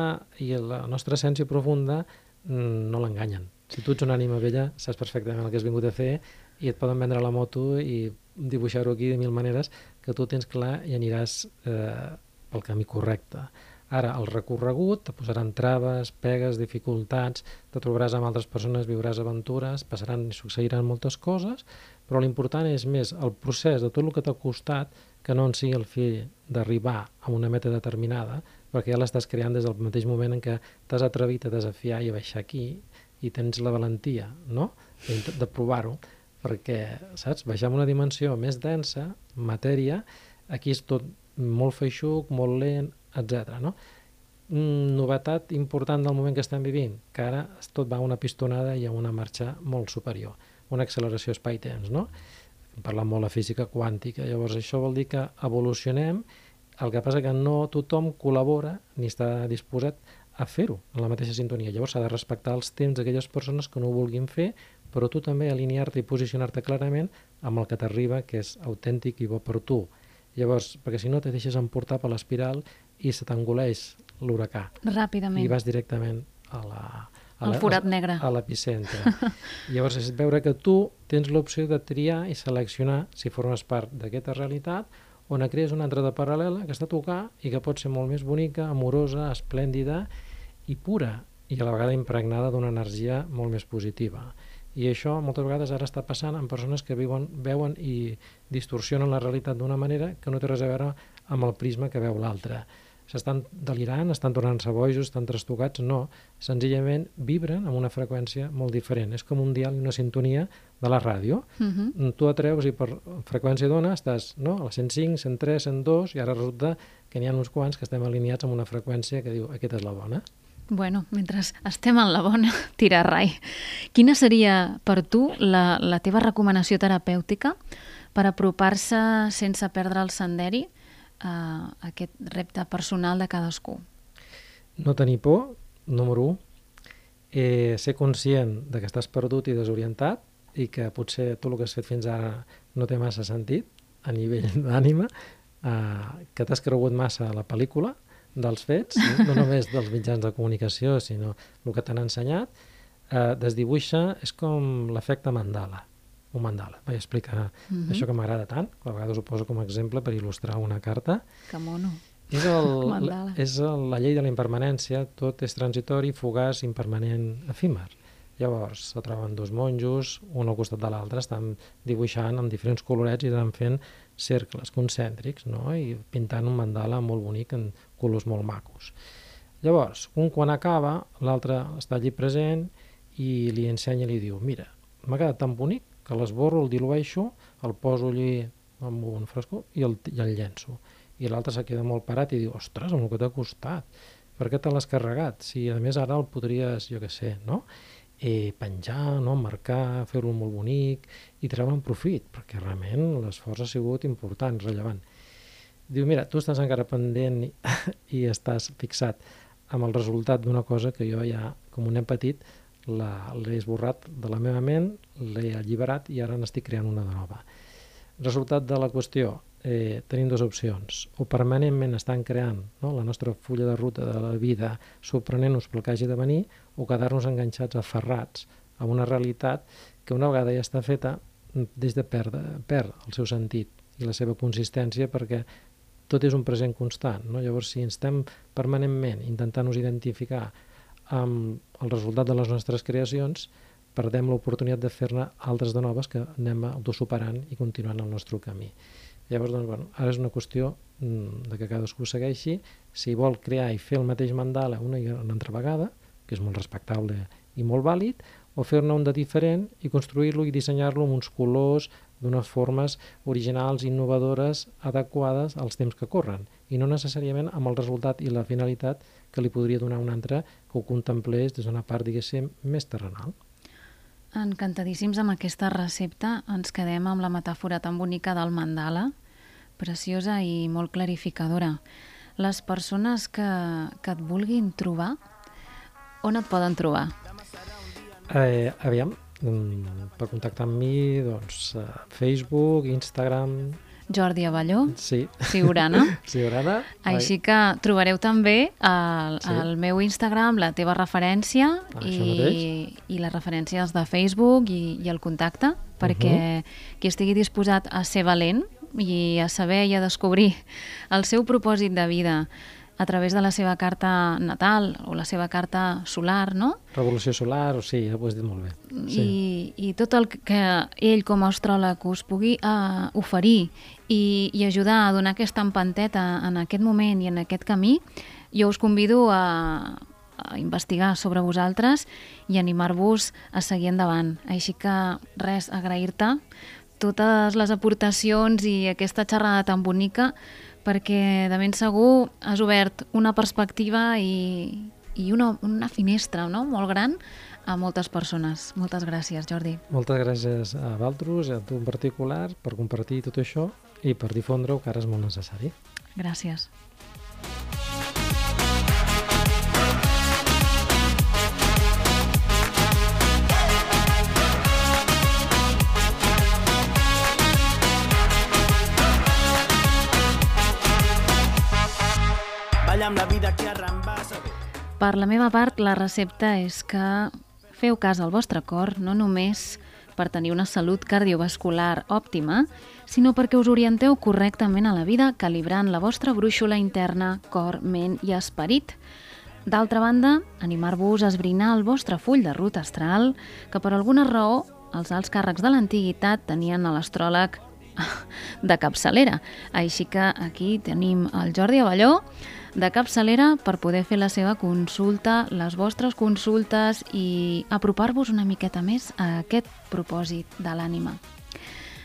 i la nostra essència profunda no l'enganyen. Si tu ets una ànima vella, saps perfectament el que has vingut a fer i et poden vendre la moto i dibuixar-ho aquí de mil maneres que tu tens clar i aniràs eh, pel camí correcte. Ara, el recorregut, te posaran traves, pegues, dificultats, te trobaràs amb altres persones, viuràs aventures, passaran i succeiran moltes coses, però l'important és més el procés de tot el que t'ha costat que no en sigui el fi d'arribar a una meta determinada, perquè ja l'estàs creant des del mateix moment en què t'has atrevit a desafiar i a baixar aquí i tens la valentia, no?, de, de provar-ho, perquè, saps, baixar en una dimensió més densa, matèria, aquí és tot molt feixuc, molt lent, etcètera, no? Novetat important del moment que estem vivint, que ara tot va a una pistonada i a una marxa molt superior, una acceleració espai-temps, no? Parlant molt de física quàntica, llavors això vol dir que evolucionem, el que passa que no tothom col·labora ni està disposat a fer-ho en la mateixa sintonia, llavors s'ha de respectar els temps d'aquelles persones que no ho vulguin fer, però tu també alinear-te i posicionar-te clarament amb el que t'arriba, que és autèntic i bo per tu. Llavors, perquè si no te deixes emportar per l'espiral i se t'engoleix l'huracà. Ràpidament. I vas directament a la... El forat negre. A l'epicentre. Llavors és veure que tu tens l'opció de triar i seleccionar si formes part d'aquesta realitat o ne crees una altra de paral·lela que està a tocar i que pot ser molt més bonica, amorosa, esplèndida i pura i a la vegada impregnada d'una energia molt més positiva. I això moltes vegades ara està passant amb persones que viuen, veuen i distorsionen la realitat d'una manera que no té res a veure amb el prisma que veu l'altre. S'estan delirant, estan tornant-se bojos, estan trastocats, no. Senzillament vibren amb una freqüència molt diferent. És com un dial i una sintonia de la ràdio. Uh-huh. Tu atreus i per freqüència d'ona estàs, no?, a la cent cinc, cent tres, cent dos i ara resulta que n'hi ha uns quants que estem alineats amb una freqüència que diu aquesta és la bona. Bueno, mentre estem en la bona, tira rai. Quina seria per tu la, la teva recomanació terapèutica per apropar-se sense perdre el senderi a aquest repte personal de cadascú? No tenir por, número u, eh, ser conscient de que estàs perdut i desorientat i que potser tot el que has fet fins ara no té massa sentit a nivell d'ànima, eh, que t'has cregut massa la pel·lícula dels fets, no només dels mitjans de comunicació, sinó el que t'han ensenyat, eh, desdibuixa, és com l'efecte Mandala, un mandala. Vaig explicar uh-huh. això que m'agrada tant, que a vegades ho poso com a exemple per il·lustrar una carta. Que mono. És, el, és el, la llei de la impermanència, tot és transitori, fugaç, impermanent, efímer. Llavors, se troben dos monjos, un al costat de l'altre, estan dibuixant amb diferents colorets i estan fent cercles concèntrics, no?, i pintant un mandala molt bonic en colors molt macos. Llavors, un quan acaba, l'altre està allí present i li ensenya i li diu: mira, m'ha quedat tan bonic que l'esborro, el dilueixo, el poso allí amb un frescó i el, i el llenço. I l'altre se queda molt parat i diu: ostres, amb el que t'ha costat, per què te l'has carregat? Si a més ara el podries, jo què sé, no?, eh, penjar, no?, marcar, fer-lo molt bonic i treure'n profit, perquè realment l'esforç ha sigut important, rellevant. Diu: mira, tu estàs encara pendent i, i estàs fixat amb el resultat d'una cosa que jo ja, com un nen petit, l'he esborrat de la meva ment, l'he alliberat i ara n'estic creant una de nova. Resultat de la qüestió, eh, tenim dues opcions. O permanentment estan creant, no?, la nostra fulla de ruta de la vida, sorprenent-nos pel que hagi de venir, o quedar-nos enganxats, aferrats a una realitat que una vegada ja està feta, des de perdre, perd el seu sentit i la seva consistència, perquè tot és un present constant, no? Llavors, si estem permanentment intentant-nos identificar amb el resultat de les nostres creacions, perdem l'oportunitat de fer-ne altres de noves que anem autosuperant i continuant el nostre camí. Llavors, doncs, bueno, ara és una qüestió de que cadascú segueixi, si vol crear i fer el mateix mandala una i una altra vegada, que és molt respectable i molt vàlid, o fer-ne un de diferent i construir-lo i dissenyar-lo amb uns colors, d'unes formes originals, innovadores, adequades als temps que corren, i no necessàriament amb el resultat i la finalitat que li podria donar un altre que ho contemplés des d'una part, diguéssim, més terrenal. Encantadíssims amb aquesta recepta. Ens quedem amb la metàfora tan bonica del mandala, preciosa i molt clarificadora. Les persones que, que et vulguin trobar, on et poden trobar? Eh, aviam, per contactar amb mi, doncs, Facebook, Instagram... Jordi Abelló, sí. Siurana. Siurana. Així que trobareu també el, sí. el meu Instagram, la teva referència ah, i, i les referències de Facebook i, i el contacte, perquè uh-huh. qui estigui disposat a ser valent i a saber i a descobrir el seu propòsit de vida a través de la seva carta natal o la seva carta solar, no? Revolució solar, o sí, ho has dit molt bé. Sí. I, i tot el que ell com a astròleg us pugui uh, oferir i, i ajudar a donar aquesta empanteta en aquest moment i en aquest camí, jo us convido a, a investigar sobre vosaltres i animar-vos a seguir endavant. Així que res, agrair-te totes les aportacions i aquesta xerrada tan bonica, perquè de ben segur has obert una perspectiva i, i una, una finestra, no?, molt gran a moltes persones. Moltes gràcies, Jordi. Moltes gràcies a Valtros, a tu en particular, per compartir tot això i per difondre-ho, que ara és molt necessari. Gràcies. Amb la vida que arrambassa. Per la meva part, la recepta és que feu cas al vostre cor, no només per tenir una salut cardiovascular òptima, sinó perquè us orienteu correctament a la vida, calibrant la vostra brúixola interna, cor, ment i esperit. D'altra banda, animar-vos a esbrinar el vostre full de ruta astral, que per alguna raó els alts càrrecs de l'antiguitat tenien a l'astròleg de capçalera. Així que aquí tenim el Jordi Abelló, de capçalera, per poder fer la seva consulta, les vostres consultes i apropar-vos una miqueta més a aquest propòsit de l'ànima.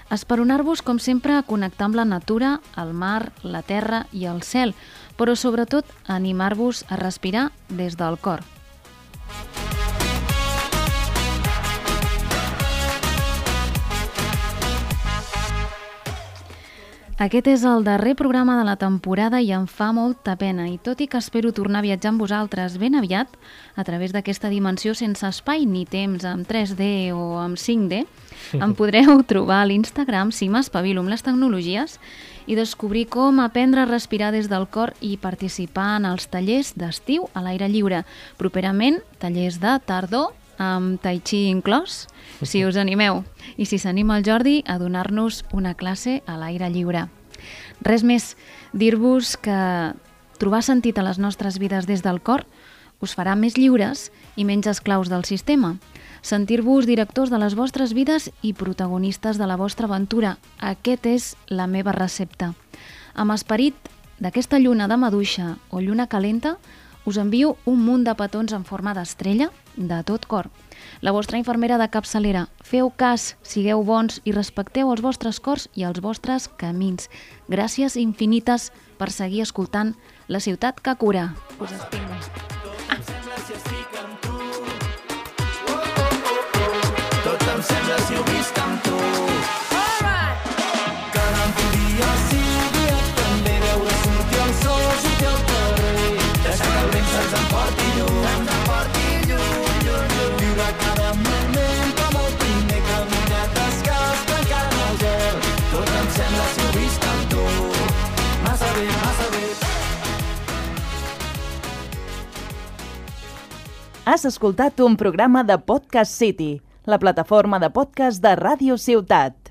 Esperonar-vos, com sempre, a connectar amb la natura, el mar, la terra i el cel, però sobretot animar-vos a respirar des del cor. Aquest és el darrer programa de la temporada i em fa molta pena, i tot i que espero tornar a viatjar amb vosaltres ben aviat, a través d'aquesta dimensió sense espai ni temps, amb tres D o amb cinc D, em podreu trobar a l'Instagram si m'espavilo amb les tecnologies i descobrir com aprendre a respirar des del cor i participar en els tallers d'estiu a l'aire lliure. Properament, tallers de tardor amb tai chi inclòs, si us animeu, i si s'anima el Jordi a donar-nos una classe a l'aire lliure. Res més, dir-vos que trobar sentit a les nostres vides des del cor us farà més lliures i menys esclaus del sistema. Sentir-vos directors de les vostres vides i protagonistes de la vostra aventura. Aquest és la meva recepta. Amb esperit d'aquesta lluna de maduixa o lluna calenta, us envio un munt de petons en forma d'estrella de tot cor. La vostra infermera de capçalera, feu cas, sigueu bons i respecteu els vostres cors i els vostres camins. Gràcies infinites per seguir escoltant La ciutat que cura. Us estimo. Tot em sembla si estic amb tu. Tot em sembla si ho visc amb tu. Que no em podia sigui també veure sortir el sol, sortir al carrer, deixar que el vent se'ns emporti lluny, se'ns emporti lluny, lluny, lluny. Viure cada moment com el primer caminat descalç, tancant el gel. Tot em sembla si ho visc amb tu. Massa bé, massa bé. Has escoltat un programa de Podcast City, la plataforma de podcast de Ràdio Ciutat.